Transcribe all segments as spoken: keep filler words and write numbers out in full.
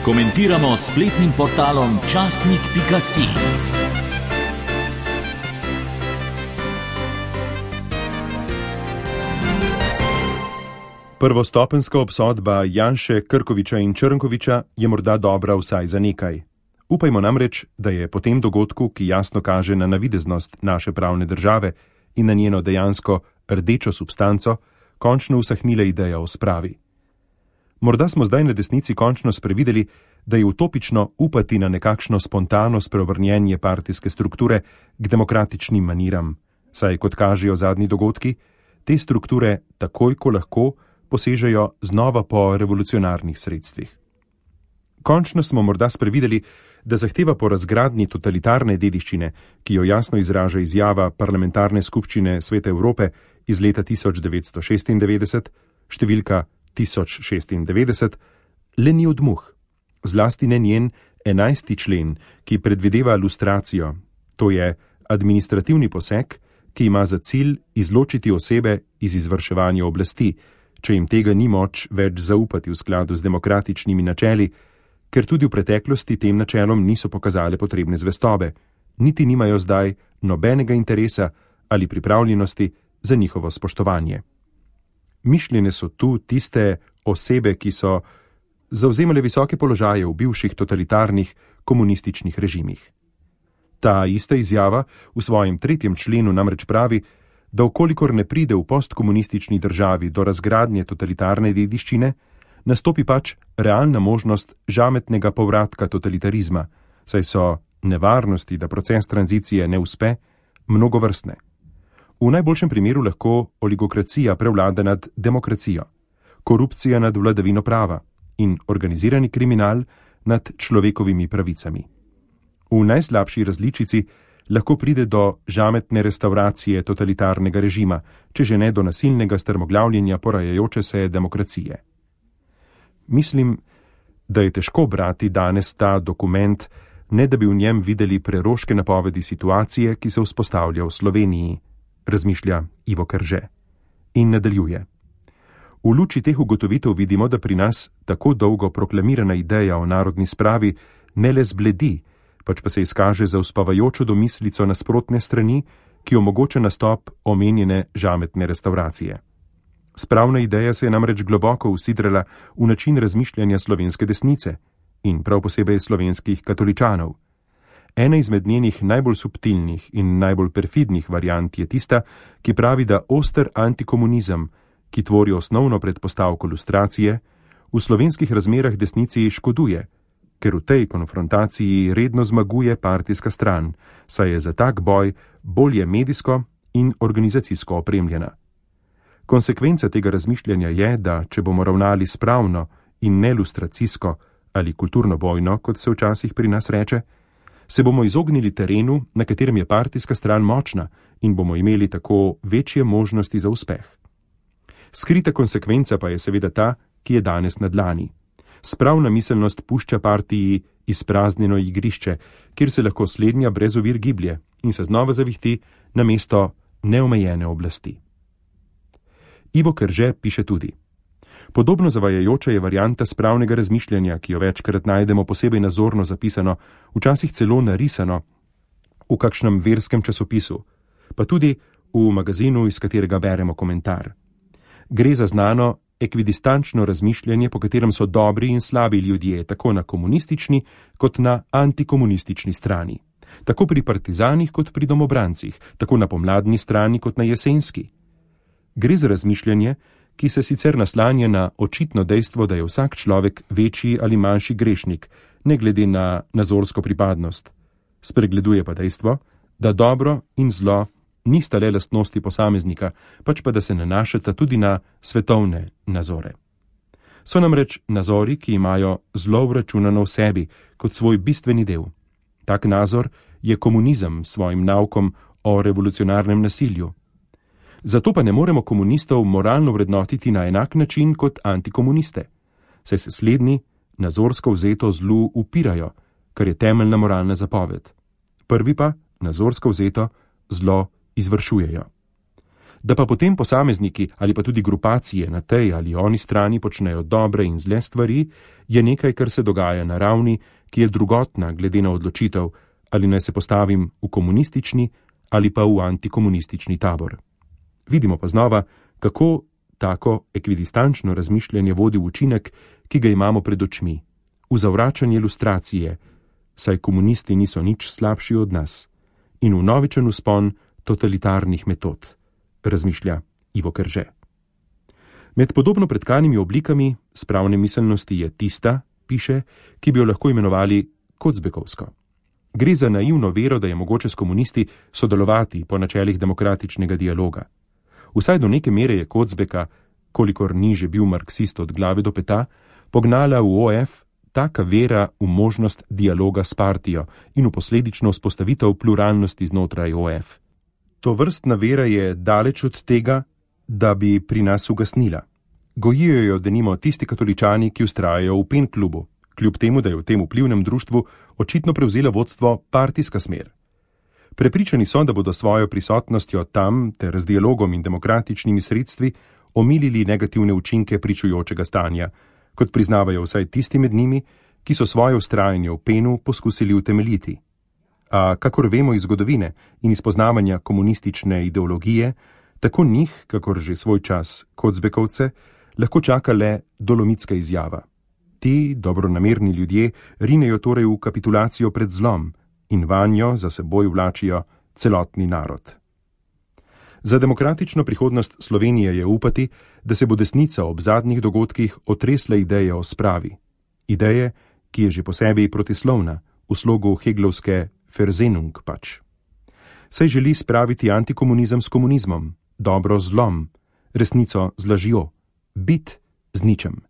Komentiramo s spletnim portalom časnik pika si. Prvostopenjska obsodba Janše, Krkoviča in Črnkoviča je morda dobra vsaj za nekaj. Upajmo namreč, da je po tem dogodku, ki jasno kaže na navideznost naše pravne države in na njeno dejansko rdečo substanco, končno usahnila ideja o spravi. Morda smo zdaj na desnici končno sprevideli, da je utopično upati na nekakšno spontano spreobrnjenje partijske strukture k demokratičnim maniram, saj, kot kažejo zadnji dogodki, te strukture takoj, ko lahko, posežejo znova po revolucionarnih sredstvih. Končno smo morda sprevideli, da zahteva po razgradnji totalitarne dediščine, ki jo jasno izraža izjava Parlamentarne skupščine Sveta Evrope iz leta tisoč devetsto šestindevetdeset, številka tisoč šestindevetdeset, le ni odmuh, zlasti ne njen enajsti člen, ki predvideva lustracijo, to je administrativni poseg, ki ima za cilj izločiti osebe iz izvrševanja oblasti, če jim tega ni moč več zaupati v skladu z demokratičnimi načeli, ker tudi v preteklosti tem načelom niso pokazale potrebne zvestobe, niti nimajo zdaj nobenega interesa ali pripravljenosti za njihovo spoštovanje. Mišljene so tu tiste osebe, ki so zavzemale visoke položaje v bivših totalitarnih komunističnih režimih. Ta ista izjava v svojem tretjem členu namreč pravi, da vkolikor ne pride v postkomunistični državi do razgradnje totalitarne dediščine, nastopi pač realna možnost žametnega povratka totalitarizma, saj so nevarnosti, da proces tranzicije ne uspe, mnogovrstne. V najboljšem primeru lahko oligokracija prevlada nad demokracijo, korupcija nad vladavino prava in organizirani kriminal nad človekovimi pravicami. V najslabši različici lahko pride do žametne restauracije totalitarnega režima, če že ne do nasilnega strmoglavljenja porajajoče se demokracije. Mislim, da je težko brati danes ta dokument, ne da bi v njem videli preroške napovedi situacije, ki se vzpostavlja v Sloveniji, razmišlja Ivo Krže. In nadaljuje. V luči teh ugotovitev vidimo, da pri nas tako dolgo proklamirana ideja o narodni spravi ne le zbledi, pač pa se izkaže za uspavajočo domislico nasprotne strani, ki omogoča nastop omenjene žametne restauracije. Spravna ideja se je namreč globoko usidrala v način razmišljanja slovenske desnice in prav posebej slovenskih katoličanov. Ena izmed njenih najbolj subtilnih in najbolj perfidnih variant je tista, ki pravi, da oster antikomunizem, ki tvori osnovno predpostavko lustracije, v slovenskih razmerah desnici škoduje, ker v tej konfrontaciji redno zmaguje partijska stran, saj je za tak boj bolje medijsko in organizacijsko opremljena. Konsekvenca tega razmišljanja je, da če bomo ravnali spravno in ne lustracijsko ali kulturno bojno, kot se včasih pri nas reče, se bomo izognili terenu, na katerem je partijska stran močna in bomo imeli tako večje možnosti za uspeh. Skrita konsekvenca pa je seveda ta, ki je danes na dlani. Spravna miselnost pušča partiji izpraznjeno igrišče, kjer se lahko slednja brez ovir giblje in se znova zavihti na mesto neomejene oblasti. Ivo Krže piše tudi. Podobno zavajajoča je varianta spravnega razmišljanja, ki jo večkrat najdemo posebej nazorno zapisano, včasih celo narisano v kakšnem verskem časopisu, pa tudi v magazinu, iz katerega beremo komentar. Gre za znano ekvidistančno razmišljanje, po katerem so dobri in slabi ljudje tako na komunistični kot na antikomunistični strani, tako pri partizanih kot pri domobrancih, tako na pomladni strani kot na jesenski. Gre za razmišljanje, ki se sicer naslanja na očitno dejstvo, da je vsak človek večji ali manjši grešnik, ne glede na nazorsko pripadnost. Spregleduje pa dejstvo, da dobro in zlo nista le lastnosti posameznika, pač pa da se nanašata tudi na svetovne nazore. So namreč nazori, ki imajo zlo vračunano v sebi kot svoj bistveni del. Tak nazor je komunizem s svojim naukom o revolucionarnem nasilju. Zato pa ne moremo komunistov moralno vrednotiti na enak način kot antikomuniste, saj se slednji nazorsko vzeto zlu upirajo, kar je temeljna moralna zapoved. Prvi pa nazorsko vzeto zlo izvršujejo. Da pa potem posamezniki ali pa tudi grupacije na tej ali oni strani počnejo dobre in zle stvari, je nekaj, kar se dogaja na ravni, ki je drugotna glede na odločitev, ali naj se postavim v komunistični ali pa v antikomunistični tabor. Vidimo pa znova, kako tako ekvidistančno razmišljanje vodi v učinek, ki ga imamo pred očmi, v zavračanje ilustracije, saj komunisti niso nič slabši od nas, in v novičen vzpon totalitarnih metod, razmišlja Ivo Krže. Med podobno pretkanimi oblikami spravne miselnosti je tista, piše, ki bi jo lahko imenovali kocbekovsko. Gre za naivno vero, da je mogoče s komunisti sodelovati po načelih demokratičnega dialoga. Vsaj do neke mere je Kocbeka, kolikor ni že bil marksist od glave do peta, pognala v O F taka vera v možnost dialoga s partijo in v posledično vzpostavitev pluralnosti znotraj O F. To vrstna vera je daleč od tega, da bi pri nas ugasnila. Gojijo jo denimo tisti katoličani, ki vztrajajo v Pen klubu, kljub temu, da je v tem vplivnem društvu očitno prevzela vodstvo partijska smer. Prepričani so, da bodo svojo prisotnostjo tam ter z dialogom in demokratičnimi sredstvi omilili negativne učinke pričujočega stanja, kot priznavajo vsaj tisti med njimi, ki so svoje vztrajanje v Penu poskusili utemeljiti. A kakor vemo iz zgodovine in iz poznavanja komunistične ideologije, tako njih, kakor že svoj čas Kocbekovce, lahko čaka le dolomitska izjava. Ti dobronamerni ljudje rinejo torej v kapitulacijo pred zlom in vanjo za seboj vlačijo celotni narod. Za demokratično prihodnost Slovenije je upati, da se bo desnica ob zadnjih dogodkih otresla ideje o spravi. Ideje, ki je že po sebi protislovna, v slogu Heglovske Versehnung pač. Saj želi spraviti antikomunizem s komunizmom, dobro z zlom, resnico z lažjo, bit z ničem.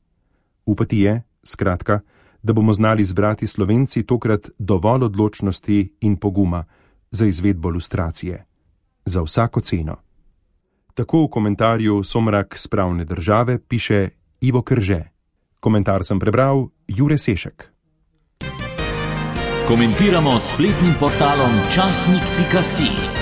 Upati je, skratka, da bomo znali zbrati Slovenci tokrat dovolj odločnosti in poguma za izvedbo lustracije. Za vsako ceno. Tako v komentarju Somrak spravne države piše Ivo Krže. Komentar sem prebral Jure Sešek. Komentiramo s spletnim portalom časnik pika si.